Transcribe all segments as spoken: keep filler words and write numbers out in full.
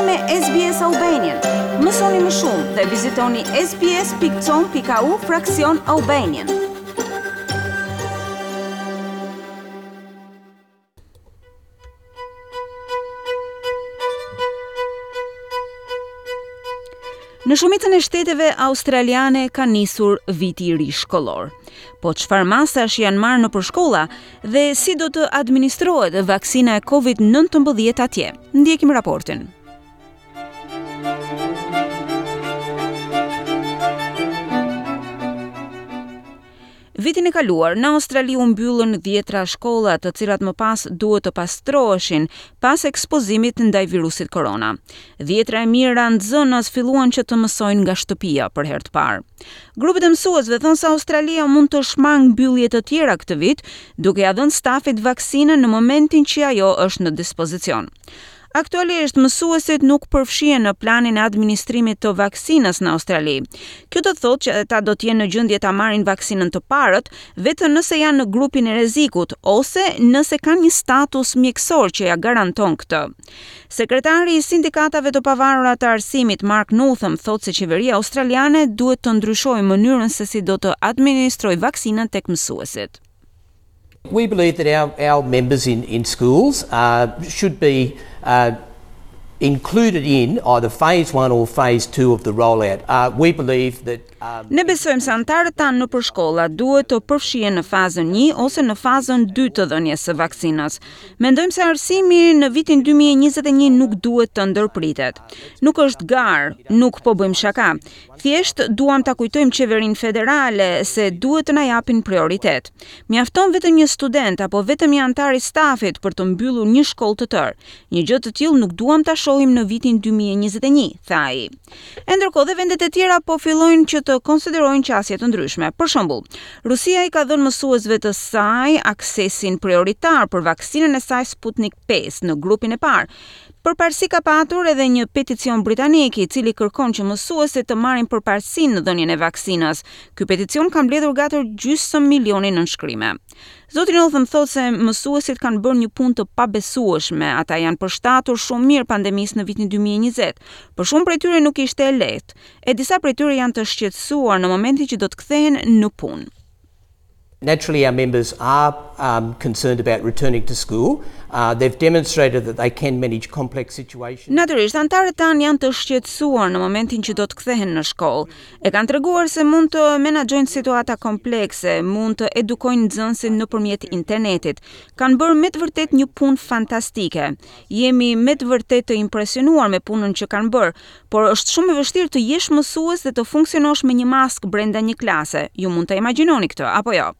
me S B S Albanian. Mësoni më shumë dhe vizitoni S B S pikë com pikë A U fraksion Albanian. Në shumicën e shteteve australiane ka nisur viti i ri shkollor. Po çfarë masash janë marrë nëpër shkolla dhe si do të administrohet vaksina e Covid nëntëmbëdhjetë atje? Ndjekim raportin. Vitin e kaluar, në Australi u mbyllën dhjetra shkolla, të cilat më pas duhet të pastroheshin pas ekspozimit ndaj virusit korona. Dhjetra e mijëra nxënës filluan që të mësojnë nga shtëpia për herë të parë. Grupet e mësuesve thonë se Australia mund të shmang mbyllje të tjera këtë vit, duke ja dhënë stafit vaksinën në momentin që ajo është në dispozicion. Aktualisht, mësuesit nuk përfshihen në planin e administrimit të vaksinës në Australi. Kjo do të thotë që ata do të jenë në gjendje ta marrin vaksinën të parët vetëm nëse janë në grupin e rrezikut ose nëse kanë një status mjekësor që ja garanton këtë. Sekretari i sindikatave të pavarura të arsimit, Mark Northam, thotë se qeveria australiane duhet të ndryshojë mënyrën se si do të administrojë vaksinën tek mësuesit. We believe that our, our members in, in schools uh, should be uh, included in either phase one or phase two of the rollout. Uh, we believe that um, Ne besojmë se anëtarët tanë nëpër shkolla duhet të përfshihen në fazën një ose në fazën dy të dhënies së vaksinës. Mendojmë se arsimi në vitin dy mijë e njëzet e një nuk duhet të ndërpritet. Nuk është garë, nuk po bëjmë shaka. Thjesht duam ta kujtojmë qeverinë federale se duhet të na japin prioritet. Mjafton vetëm një student apo vetëm një anëtar i stafit për të mbyllur një shkollë të tërë. Një gjë të tillë nuk duam ta shohim në vitin dy mijë e njëzet e një, tha ai. E ndërkohë dhe vendet e tjera po fillojnë që të konsiderojnë qasje të ndryshme. Për shembull, Rusia i ka dhënë mësuesve të saj aksesin prioritar për vaksinën e saj Sputnik pesë në grupin e parë. Përparësi ka patur edhe një peticion britanik, i cili kërkon që mësuesit të marrin përparësinë në dhënien e vaksinës. Ky peticion ka mbledhur gati gjysmë milioni nënshkrime. Zoti Northam thotë se mësuesit kanë bërë një punë të pabesueshme, ata janë përshtatur shumë mirë pandemisë në vitin dy mijë e njëzet. Për shumë prej tyre nuk ishte e lehtë, e disa prej tyre janë të shqetësuar në momentin që do të kthehen në punë. Naturally, our members are um, concerned about returning to school. Uh, they've demonstrated that they can manage complex situations. Natyrisht, anëtarët tanë janë të shqetësuar në momentin që do të kthehen në shkollë. E kanë treguar se mund të menaxhojnë situata komplekse, mund të edukojnë nxënësit nëpërmjet internetit. Kanë bërë me të vërtetë një punë fantastike. Jemi me të vërtetë të impresionuar me punën që kanë bërë, por është shumë e vështirë të jesh mësues dhe të funksionosh me një maskë brenda një klase. Ju mund të imagjinoni këtë, apo jo?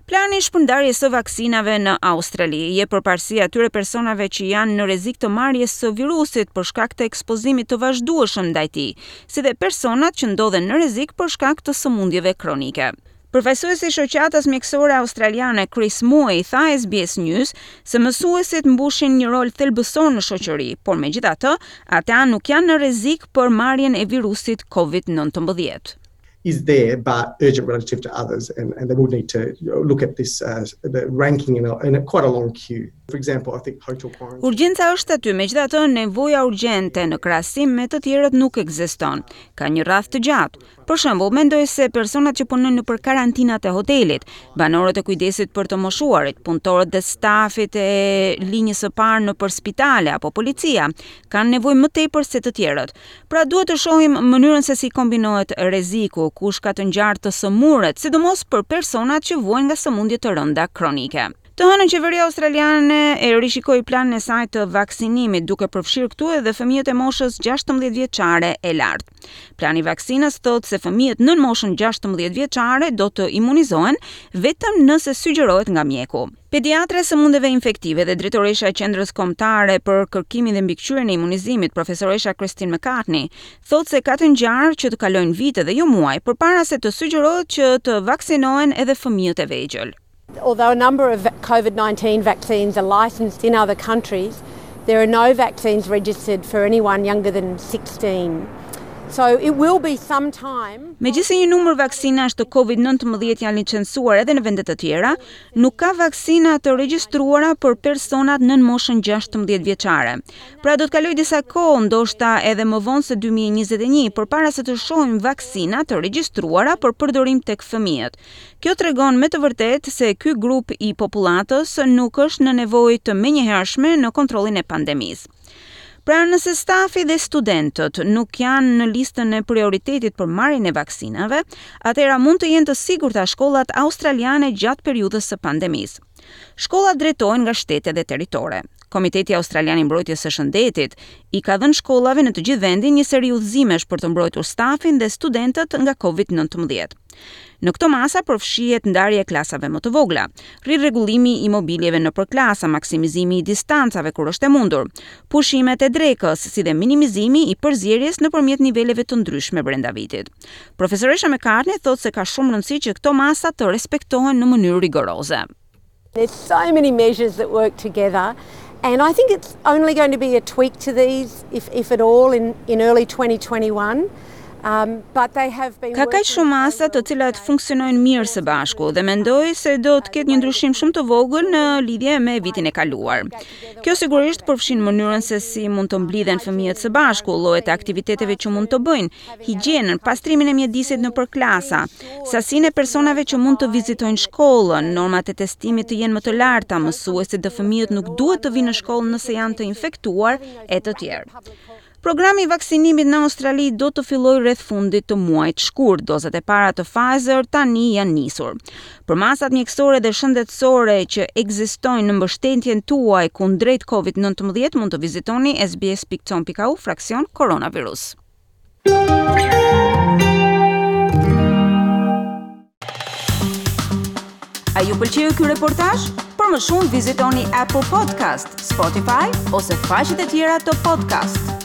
Plani i shpërndarjes së vaksinave në Australi jep përparësi atyre personave që janë në rrezik të marrjes së virusit për shkak të ekspozimit të vazhdueshëm ndaj tij, si dhe personat që ndodhen në rrezik për shkak të sëmundjeve kronike. Përfaqësuesi i shoqatës mjekësore australiane, Chris Moy, tha S B S News se mësuesit mbushin një rol thelbësor në shoqëri, por megjithatë, ata nuk janë në rrezik për marrjen e virusit Covid nëntëmbëdhjetë. Is there, but urgent relative to others, and, and they will need to look at this uh, the ranking in a, in a quite a long queue. For example, I think hotel quarantine. Urgjenca është aty, megjithatë nevoja urgjente në krahasim me të tjerët nuk ekziston. Ka një radhë të gjatë. Për shembull, mendoj se personat që punojnë nëpër karantinat e hotelit, banorët e kujdesit për të moshuarit, punëtorët dhe stafit e linjës së parë nëpër spitale apo policia, kanë nevojë më tepër se të tjerët. Pra, duhet të shohim mënyrën se si kombinohet rreziku, kush ka të ngjarë të sëmuret, sidomos për personat që vuajnë nga sëmundje të rënda kronike. Të hënën, qeveria australiane e rishikoi planin e saj të vaksinimit, duke përfshirë këtu edhe fëmijët e moshës gjashtëmbëdhjetë vjeçare e lart. Plani i vaksinës thotë se fëmijët nën moshën gjashtëmbëdhjetë vjeçare do të imunizohen vetëm nëse sugjerohet nga mjeku. Pediatra e sëmundjeve infektive dhe drejtoresha e Qendrës Kombëtare për Kërkimin dhe Mbikëqyrjen e Imunizimit, profesoresha Christine McCartney, thotë se ka të ngjarë që të kalojnë vite dhe jo muaj përpara se të sugjerohet që të vaksinohen edhe fëmijët e vegjël. Although a number of COVID nineteen vaccines are licensed in other countries, there are no vaccines registered for anyone younger than sixteen. So it will be some time. Megjithëse një numër vaksinash të Covid nëntëmbëdhjetë janë licencuar edhe në vende të tjera, nuk ka vaksina të regjistruara për personat nën moshën gjashtëmbëdhjetë vjeçare. Pra, do të kalojë disa kohë, ndoshta edhe më vonë se dy mijë e njëzet e një, përpara se të shohim vaksina të regjistruara për përdorim tek fëmijët. Kjo tregon me të vërtetë se ky grup i popullatës nuk është në nevojë të menjëhershme në kontrollin e pandemisë. Pra, nëse stafi dhe studentët nuk janë në listën e prioritetit për marrjen e vaksinave, atëherë mund të jenë të sigurta shkollat australiane gjatë periudhës së pandemisë. Shkollat drejtohen nga shtete dhe territore. Komiteti Australian i Mbrojtjes së Shëndetit i ka dhënë shkollave në të gjithë vendin një seri udhëzimesh për të mbrojtur stafin dhe studentët nga Covid nëntëmbëdhjetë. Në këto masa përfshihet ndarja e klasave më të vogla, rirregullimi i mobiljeve nëpër klasa, maksimizimi i distancave kur është e mundur, pushimet e drekës, si dhe minimizimi i përzierjes nëpërmjet niveleve të ndryshme brenda vitit. Profesoresha McCartney thotë se ka shumë rëndësi që këto masa të respektohen në mënyrë rigoroze. There's so many measures that work together, and I think it's only going to be a tweak to these, if, if at all, in, in early twenty twenty-one. Um, but they have been Ka kaq shumë masa të cilat funksionojnë mirë së bashku dhe mendoj se do të ketë një ndryshim shumë të vogël në lidhje me vitin e kaluar. Kjo sigurisht përfshin mënyrën se si mund të mblidhen fëmijët së bashku, llojet e aktiviteteve që mund të bëjnë, higjienën, pastrimin e mjedisit nëpër klasa, sasinë e personave që mund të vizitojnë shkollën, normat e testimit të jenë më të larta, mësuesit dhe fëmijët nuk duhet të vinë në shkollë nëse janë të infektuar e të tjerë. Programi i vaksinimit në Australi do të fillojë rreth fundit të muajit shkurt. Dozat e para të Pfizer tani janë nisur. Për masat mjekësore dhe shëndetësore që ekzistojnë në mbështetjen tuaj kundrejt Covid nëntëmbëdhjetë mund të vizitoni S B S pikë com pikë A U fraksion koronavirus. A ju pëlqeu ky reportazh? Për më shumë vizitoni Apple Podcast, Spotify ose faqet e tjera të podcast.